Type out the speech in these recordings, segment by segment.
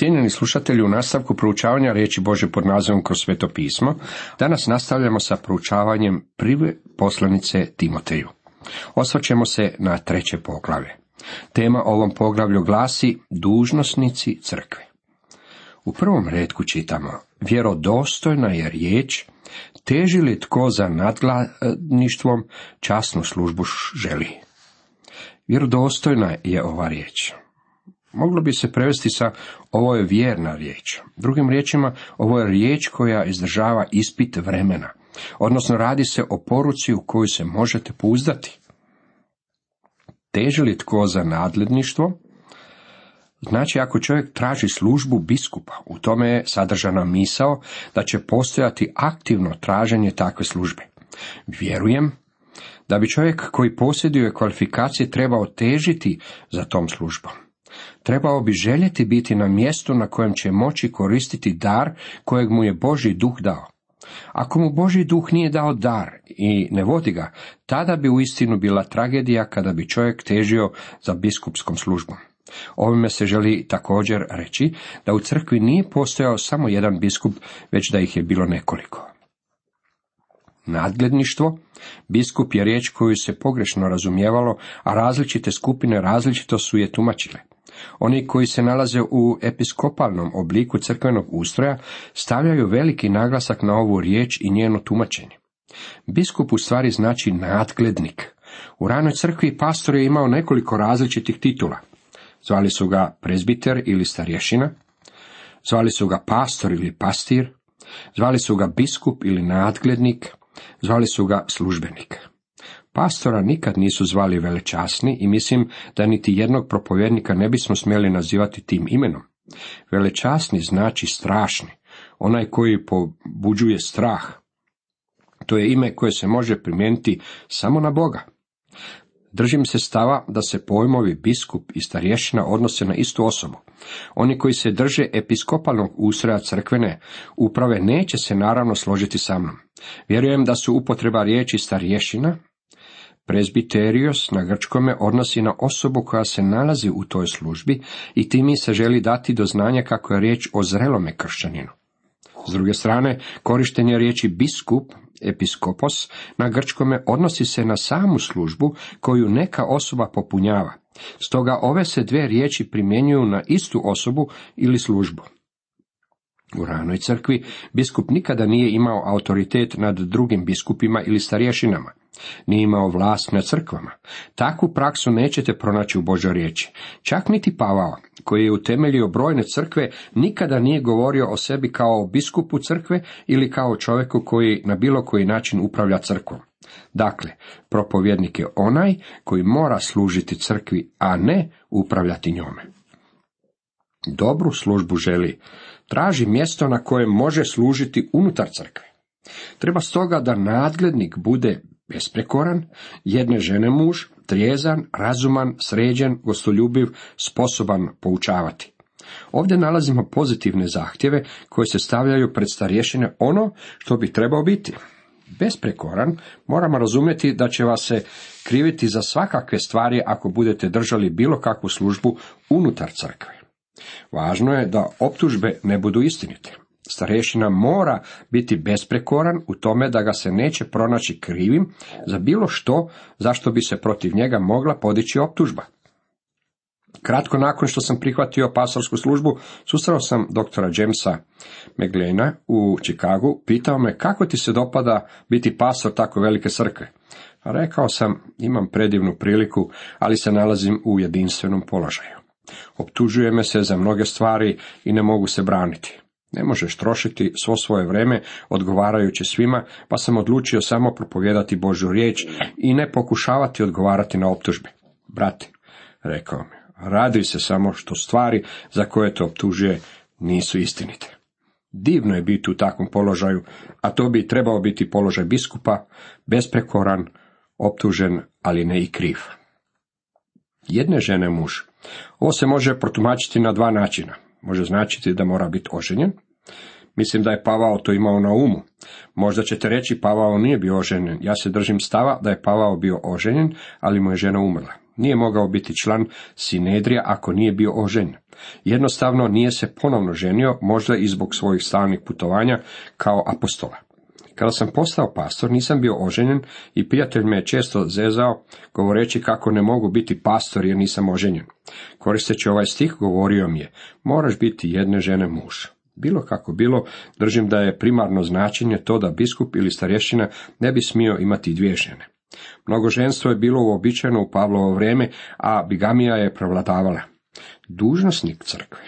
Cijenjeni slušatelji, u nastavku proučavanja riječi Božje pod nazivom Kroz Sveto pismo, danas nastavljamo sa proučavanjem prve poslanice Timoteju. Osvrćemo se na 3. poglavlje. Tema ovom poglavlju glasi dužnosnici crkve. U prvom retku čitamo: vjerodostojna je riječ, teži li tko za nadgledništvom, časnu službu želi. Vjerodostojna je ova riječ. Moglo bi se prevesti sa ovo je vjerna riječ. Drugim riječima, ovo je riječ koja izdržava ispit vremena, odnosno radi se o poruci u koju se možete pouzdati. Teži li tko za nadgledništvo? Znači, ako čovjek traži službu biskupa, u tome je sadržana misao da će postojati aktivno traženje takve službe. Vjerujem da bi čovjek koji posjeduje kvalifikacije trebao težiti za tom službom. Trebao bi željeti biti na mjestu na kojem će moći koristiti dar kojeg mu je Božji duh dao. Ako mu Božji duh nije dao dar i ne vodi ga, tada bi uistinu bila tragedija kada bi čovjek težio za biskupskom službom. Ovime se želi također reći da u crkvi nije postojao samo jedan biskup, već da ih je bilo nekoliko. Nadgledništvo, biskup je riječ koju se pogrešno razumijevalo, a različite skupine različito su je tumačile. Oni koji se nalaze u episkopalnom obliku crkvenog ustroja stavljaju veliki naglasak na ovu riječ i njeno tumačenje. Biskup u stvari znači nadglednik. U ranoj crkvi pastor je imao nekoliko različitih titula. Zvali su ga prezbiter ili starješina, zvali su ga pastor ili pastir, zvali su ga biskup ili nadglednik, zvali su ga službenik. Pastora nikad nisu zvali velečasni i mislim da niti jednog propovjednika ne bismo smjeli nazivati tim imenom. Velečasni znači strašni, onaj koji pobuđuje strah. To je ime koje se može primijeniti samo na Boga. Držim se stava da se pojmovi biskup i starješina odnose na istu osobu. Oni koji se drže episkopalnog ustroja crkvene uprave neće se naravno složiti sa mnom. Vjerujem da su upotreba riječi starješina, prezbiterios na grčkome odnosi na osobu koja se nalazi u toj službi i time se želi dati do znanja kako je riječ o zrelome kršćaninu. S druge strane, korištenje riječi biskup, episkopos, na grčkome odnosi se na samu službu koju neka osoba popunjava. Stoga ove se dvije riječi primjenjuju na istu osobu ili službu. U ranoj crkvi biskup nikada nije imao autoritet nad drugim biskupima ili starješinama. Nije imao vlast nad crkvama. Takvu praksu nećete pronaći u Božoj riječi. Čak niti Pavao, koji je utemeljio brojne crkve, nikada nije govorio o sebi kao o biskupu crkve ili kao čovjeku koji na bilo koji način upravlja crkvom. Dakle, propovjednik je onaj koji mora služiti crkvi, a ne upravljati njome. Dobru službu želi. Traži mjesto na kojem može služiti unutar crkve. Treba stoga da nadglednik bude besprekoran, jedne žene muž, trijezan, razuman, sređen, gostoljubiv, sposoban poučavati. Ovdje nalazimo pozitivne zahtjeve koje se stavljaju pred starješine ono što bi trebao biti. Besprekoran moramo razumjeti da će vas se kriviti za svakakve stvari ako budete držali bilo kakvu službu unutar crkve. Važno je da optužbe ne budu istinite. Starješina mora biti besprekoran u tome da ga se neće pronaći krivim za bilo što zašto bi se protiv njega mogla podići optužba. Kratko nakon što sam prihvatio pastorsku službu, susreo sam doktora Jamesa McLeana u Chicagu. Pitao me kako ti se dopada biti pastor tako velike crkve. Rekao sam, imam predivnu priliku, ali se nalazim u jedinstvenom položaju. Optužuje me se za mnoge stvari i ne mogu se braniti. Ne možeš trošiti svo svoje vrijeme odgovarajući svima, pa sam odlučio samo propovijedati Božju riječ i ne pokušavati odgovarati na optužbe. Brate, rekao mi, raduj se samo što stvari za koje te optužuje nisu istinite. Divno je biti u takvom položaju, a to bi trebao biti položaj biskupa, besprekoran, optužen, ali ne i kriv. Jedne žene muž. Ovo se može protumačiti na dva načina. Može značiti da mora biti oženjen. Mislim da je Pavao to imao na umu. Možda ćete reći Pavao nije bio oženjen. Ja se držim stava da je Pavao bio oženjen, ali mu je žena umrla. Nije mogao biti član Sinedrija ako nije bio oženjen. Jednostavno nije se ponovno ženio, možda i zbog svojih stalnih putovanja kao apostola. Kada sam postao pastor, nisam bio oženjen i prijatelj me je često zezao, govoreći kako ne mogu biti pastor jer nisam oženjen. Koristeći ovaj stih, govorio mi je, moraš biti jedne žene muž. Bilo kako bilo, držim da je primarno značenje to da biskup ili starješina ne bi smio imati dvije žene. Mnogoženstvo je bilo uobičajeno u Pavlovo vrijeme, a bigamija je prevladavala. Dužnosnik crkve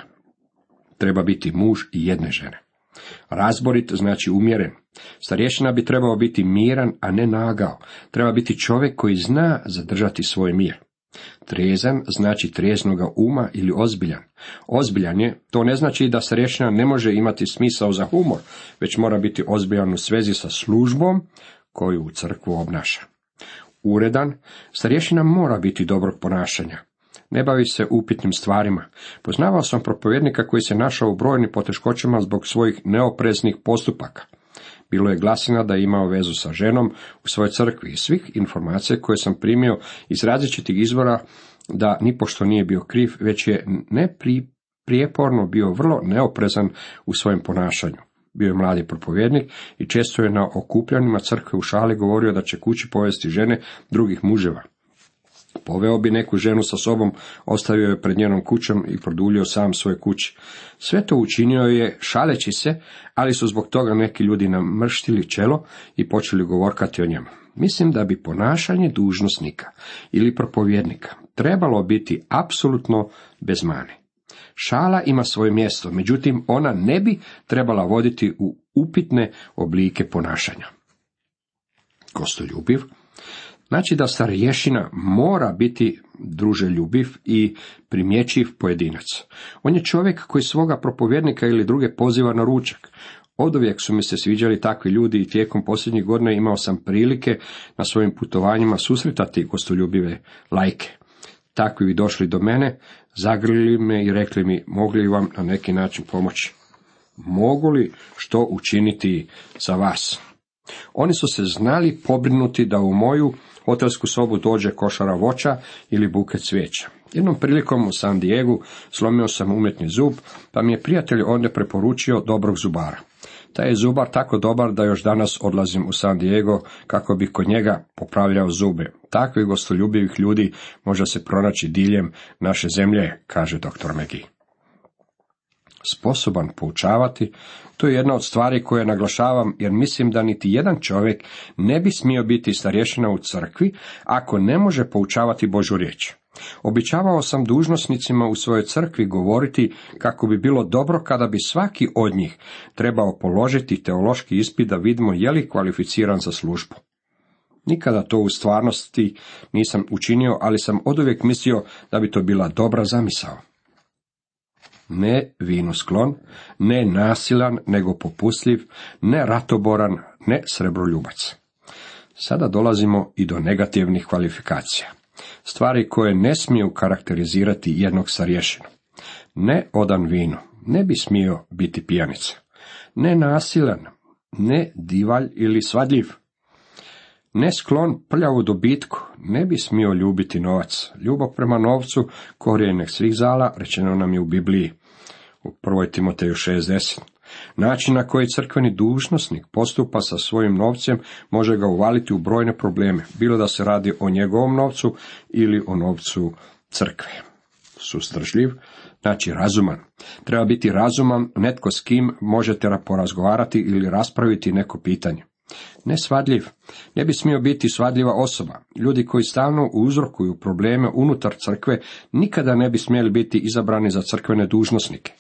treba biti muž i jedne žene. Razborit znači umjeren. Starješina bi trebao biti miran, a ne nagao. Treba biti čovjek koji zna zadržati svoj mir. Trezan znači treznoga uma ili ozbiljan. Ozbiljan je, to ne znači da starješina ne može imati smisao za humor, već mora biti ozbiljan u svezi sa službom koju u crkvu obnaša. Uredan, starješina mora biti dobrog ponašanja. Ne bavi se upitnim stvarima. Poznavao sam propovjednika koji se našao u brojnim poteškoćama zbog svojih neopreznih postupaka. Bilo je glasina da je imao vezu sa ženom u svojoj crkvi i svih informacija koje sam primio iz različitih izvora da nipošto nije bio kriv, već je neprijeporno bio vrlo neoprezan u svojem ponašanju. Bio je mladi propovjednik i često je na okupljanjima crkve u šali govorio da će kući povesti žene drugih muževa. Poveo bi neku ženu sa sobom, ostavio je pred njenom kućom i produljio sam svoje kući. Sve to učinio je šaleći se, ali su zbog toga neki ljudi namrštili čelo i počeli govorkati o njemu. Mislim da bi ponašanje dužnosnika ili propovjednika trebalo biti apsolutno bez mane. Šala ima svoje mjesto, međutim ona ne bi trebala voditi u upitne oblike ponašanja. Gostoljubiv znači da starješina mora biti druželjubiv i primjećiv pojedinac. On je čovjek koji svoga propovjednika ili druge poziva na ručak. Oduvijek su mi se sviđali takvi ljudi i tijekom posljednjih godina imao sam prilike na svojim putovanjima susretati gostoljubive laike. Takvi bi došli do mene, zagrlili me i rekli mi, mogli vam na neki način pomoći? Mogu li što učiniti za vas? Oni su se znali pobrinuti da u moju hotelsku sobu dođe košara voća ili buket cvijeća. Jednom prilikom u San Diegu slomio sam umjetni zub, pa mi je prijatelj onda preporučio dobrog zubara. Taj je zubar tako dobar da još danas odlazim u San Diego kako bi kod njega popravljao zube. Takvih gostoljubivih ljudi može se pronaći diljem naše zemlje, kaže dr. McGee. Sposoban poučavati, to je jedna od stvari koje naglašavam jer mislim da niti jedan čovjek ne bi smio biti starješina u crkvi ako ne može poučavati Božju riječ. Običavao sam dužnosnicima u svojoj crkvi govoriti kako bi bilo dobro kada bi svaki od njih trebao položiti teološki ispit da vidimo je li kvalificiran za službu. Nikada to u stvarnosti nisam učinio, ali sam oduvijek mislio da bi to bila dobra zamisao. Ne vinosklon, ne nasilan, nego popustljiv, ne ratoboran, ne srebroljubac. Sada dolazimo i do negativnih kvalifikacija. Stvari koje ne smiju karakterizirati jednog starješinu. Ne odan vinu, ne bi smio biti pijanica. Ne nasilan, ne divalj ili svadljiv. Ne sklon prljavu dobitku, ne bi smio ljubiti novac. Ljubav prema novcu, korijenek svih zala, rečeno nam je u Bibliji, u 1. Timoteju 6:10. Način na koji crkveni dužnosnik postupa sa svojim novcem može ga uvaliti u brojne probleme, bilo da se radi o njegovom novcu ili o novcu crkve. Suzdržljiv, znači razuman. Treba biti razuman, netko s kim možete porazgovarati ili raspraviti neko pitanje. Nesvadljiv, ne bi smio biti svadljiva osoba. Ljudi koji stalno uzrokuju probleme unutar crkve nikada ne bi smjeli biti izabrani za crkvene dužnosnike.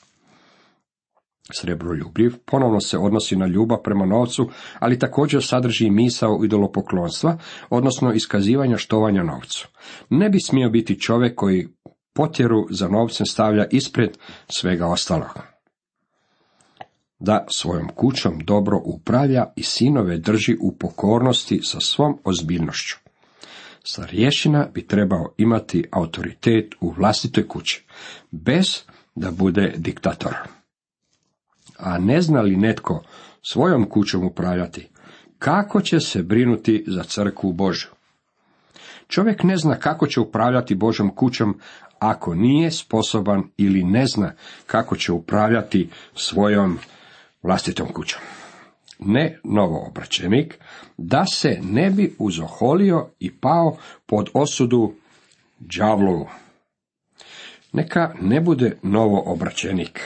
Srebroljubljiv ponovno se odnosi na ljubav prema novcu, ali također sadrži misao idolopoklonstva, odnosno iskazivanja štovanja novcu. Ne bi smio biti čovjek koji potjeru za novcem stavlja ispred svega ostalog. Da svojom kućom dobro upravlja i sinove drži u pokornosti sa svom ozbiljnošću. Starješina bi trebao imati autoritet u vlastitoj kući, bez da bude diktator. A ne zna li netko svojom kućom upravljati, kako će se brinuti za crkvu Božju? Čovjek ne zna kako će upravljati Božjom kućom ako nije sposoban ili ne zna kako će upravljati svojom vlastitom kućom. Ne novoobraćenik, da se ne bi uzoholio i pao pod osudu đavlovu. Neka ne bude novoobraćenik.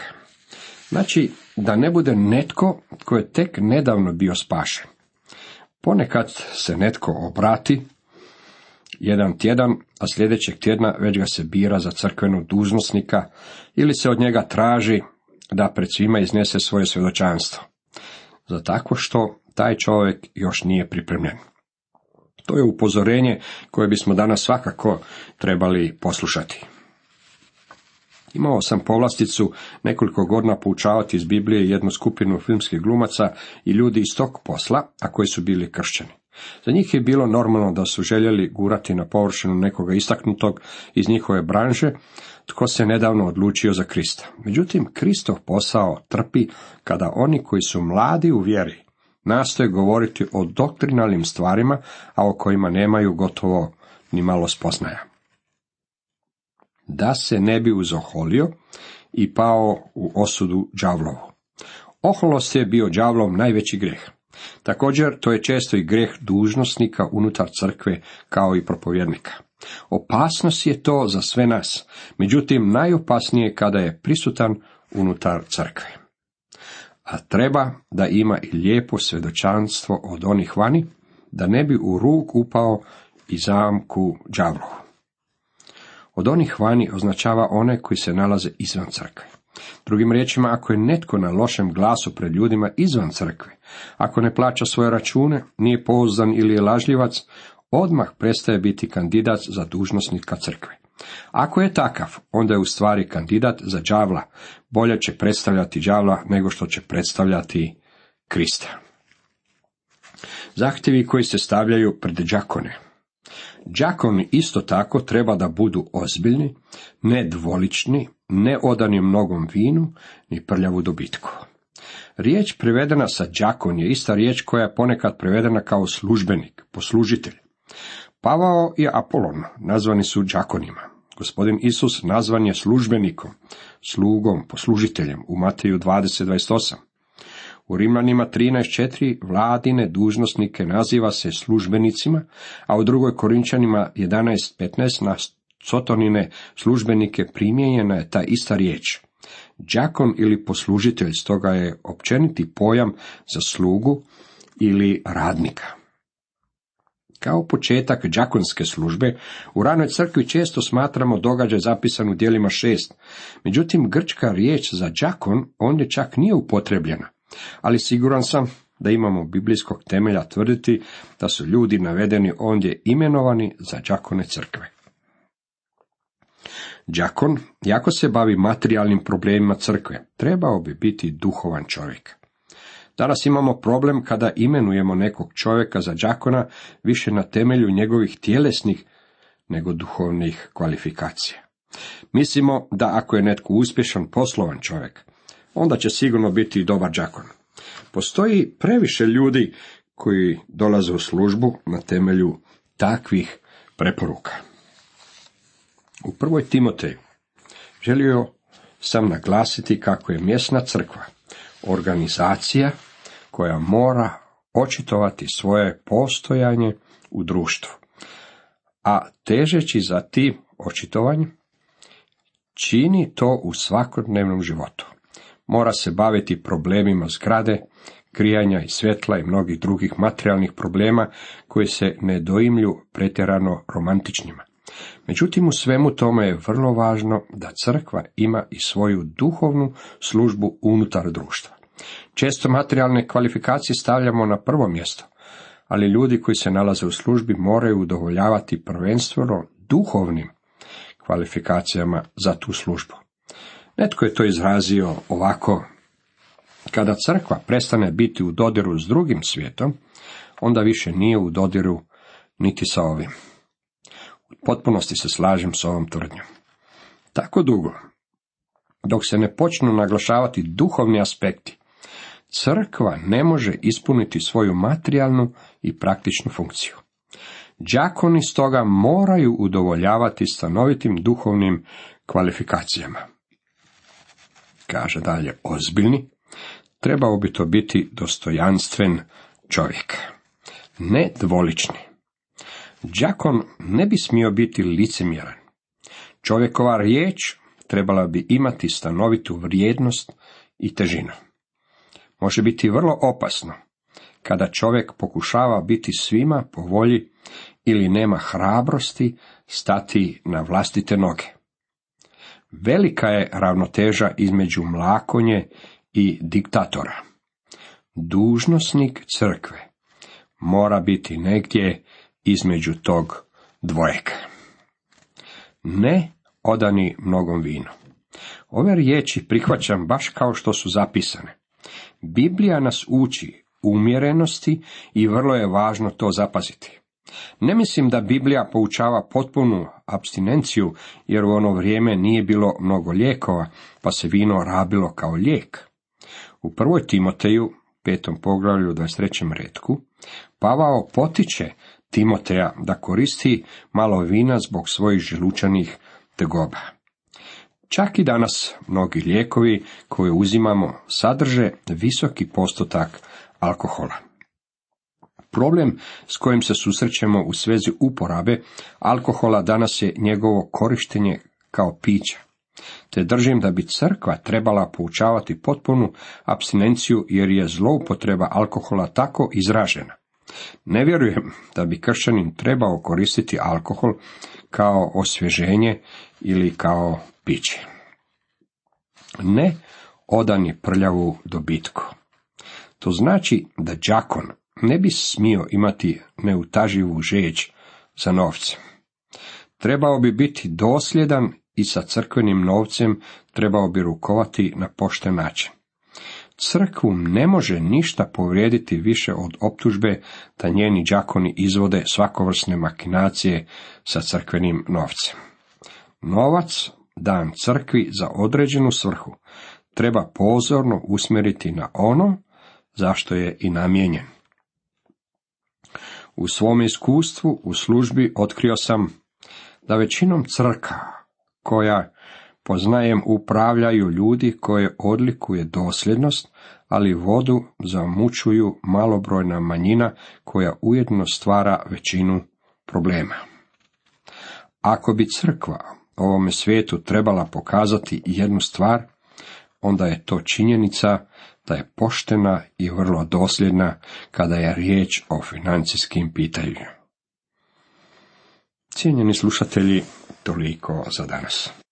Znači, da ne bude netko tko je tek nedavno bio spašen. Ponekad se netko obrati jedan tjedan, a sljedećeg tjedna već ga se bira za crkvenog dužnosnika ili se od njega traži da pred svima iznese svoje svjedočanstvo. Za takvo što taj čovjek još nije pripremljen. To je upozorenje koje bismo danas svakako trebali poslušati. Imao sam povlasticu nekoliko godina poučavati iz Biblije jednu skupinu filmskih glumaca i ljudi iz tog posla, a koji su bili kršćani. Za njih je bilo normalno da su željeli gurati na površinu nekoga istaknutog iz njihove branže, tko se nedavno odlučio za Krista. Međutim, Kristov posao trpi kada oni koji su mladi u vjeri nastoje govoriti o doktrinalnim stvarima, a o kojima nemaju gotovo ni malo spoznaja. Da se ne bi uzoholio i pao u osudu đavlovu. Oholost je bio đavlov najveći grijeh. Također, to je često i grijeh dužnosnika unutar crkve kao i propovjednika. Opasnost je to za sve nas, međutim najopasnije kada je prisutan unutar crkve. A treba da ima i lijepo svjedočanstvo od onih vani, da ne bi u rug upao i zamku đavlovu. Od onih vani označava one koji se nalaze izvan crkve. Drugim riječima, ako je netko na lošem glasu pred ljudima izvan crkve, ako ne plaća svoje račune, nije pouzdan ili je lažljivac, odmah prestaje biti kandidat za dužnosnika crkve. Ako je takav, onda je u stvari kandidat za đavla. Bolje će predstavljati đavla nego što će predstavljati Krista. Zahtjevi koji se stavljaju pred đakone. Đakoni isto tako treba da budu ozbiljni, ne dvolični, ne odani mnogom vinu, ni prljavu dobitku. Riječ prevedena sa đakon je ista riječ koja je ponekad prevedena kao službenik, poslužitelj. Pavao i Apolon nazvani su đakonima. Gospodin Isus nazvan je službenikom, slugom, poslužiteljem u Mateju 20:28. U Rimljanima 13:4 vladine dužnosnike naziva se službenicima, a u 2. Korinčanima 11:15 na sotonine službenike primijenjena je ta ista riječ. Đakon ili poslužitelj stoga je općeniti pojam za slugu ili radnika. Kao početak đakonske službe, u ranoj crkvi često smatramo događaj zapisan u djelima 6. Međutim, grčka riječ za đakon ondje čak nije upotrebljena, ali siguran sam da imamo biblijskog temelja tvrditi da su ljudi navedeni ondje imenovani za đakone crkve. Đakon, jako se bavi materijalnim problemima crkve, trebao bi biti duhovan čovjek. Danas imamo problem kada imenujemo nekog čovjeka za đakona više na temelju njegovih tjelesnih nego duhovnih kvalifikacija. Mislimo da ako je netko uspješan poslovan čovjek, onda će sigurno biti dobar đakon. Postoji previše ljudi koji dolaze u službu na temelju takvih preporuka. U 1. Timoteju želio sam naglasiti kako je mjesna crkva organizacija koja mora očitovati svoje postojanje u društvu, a težeći za tim očitovanjem čini to u svakodnevnom životu. Mora se baviti problemima zgrade, grijanja i svjetla i mnogih drugih materijalnih problema koji se ne doimlju pretjerano romantičnima. Međutim, u svemu tome je vrlo važno da crkva ima i svoju duhovnu službu unutar društva. Često materijalne kvalifikacije stavljamo na prvo mjesto, ali ljudi koji se nalaze u službi moraju udovoljavati prvenstveno duhovnim kvalifikacijama za tu službu. Netko je to izrazio ovako: kada crkva prestane biti u dodiru s drugim svijetom, onda više nije u dodiru niti sa ovim. U potpunosti se slažem s ovom tvrdnjom. Tako dugo, dok se ne počnu naglašavati duhovni aspekti, crkva ne može ispuniti svoju materijalnu i praktičnu funkciju. Đakoni stoga moraju udovoljavati stanovitim duhovnim kvalifikacijama. Kaže dalje, ozbiljni, trebao bi to biti dostojanstven čovjek, ne dvolični. Đakon ne bi smio biti licemjeran. Čovjekova riječ trebala bi imati stanovitu vrijednost i težinu. Može biti vrlo opasno kada čovjek pokušava biti svima po volji ili nema hrabrosti stati na vlastite noge. Velika je ravnoteža između mlakonje i diktatora. Dužnosnik crkve mora biti negdje između tog dvojega. Ne odani mnogom vinu. Ove riječi prihvaćam baš kao što su zapisane. Biblija nas uči umjerenosti i vrlo je važno to zapaziti. Ne mislim da Biblija poučava potpunu apstinenciju, jer u ono vrijeme nije bilo mnogo lijekova, pa se vino rabilo kao lijek. U 1. Timoteju, 5. poglavlju, 23. retku, Pavao potiče Timoteja da koristi malo vina zbog svojih želučanih tegoba. Čak i danas mnogi lijekovi koje uzimamo sadrže visoki postotak alkohola. Problem s kojim se susrećemo u svezi uporabe alkohola danas je njegovo korištenje kao pića. Te držim da bi crkva trebala poučavati potpunu apstinenciju, jer je zloupotreba alkohola tako izražena. Ne vjerujem da bi kršćanin trebao koristiti alkohol kao osvježenje ili kao piće. Ne odani prljavu dobitku. To znači da đakon ne bi smio imati neutaživu žeđ za novcem. Trebao bi biti dosljedan i sa crkvenim novcem trebao bi rukovati na pošten način. Crkvu ne može ništa povrijediti više od optužbe da njeni đakoni izvode svakovrsne makinacije sa crkvenim novcem. Novac dan crkvi za određenu svrhu treba pozorno usmjeriti na ono zašto je i namijenjen. U svom iskustvu u službi otkrio sam da većinom crkava koja poznajem upravljaju ljudi koje odlikuje dosljednost, ali vodu zamučuju malobrojna manjina koja ujedno stvara većinu problema. Ako bi crkva ovome svijetu trebala pokazati jednu stvar, onda je to činjenica da je poštena i vrlo dosljedna kada je riječ o financijskim pitanjima. Cijenjeni slušatelji, toliko za danas.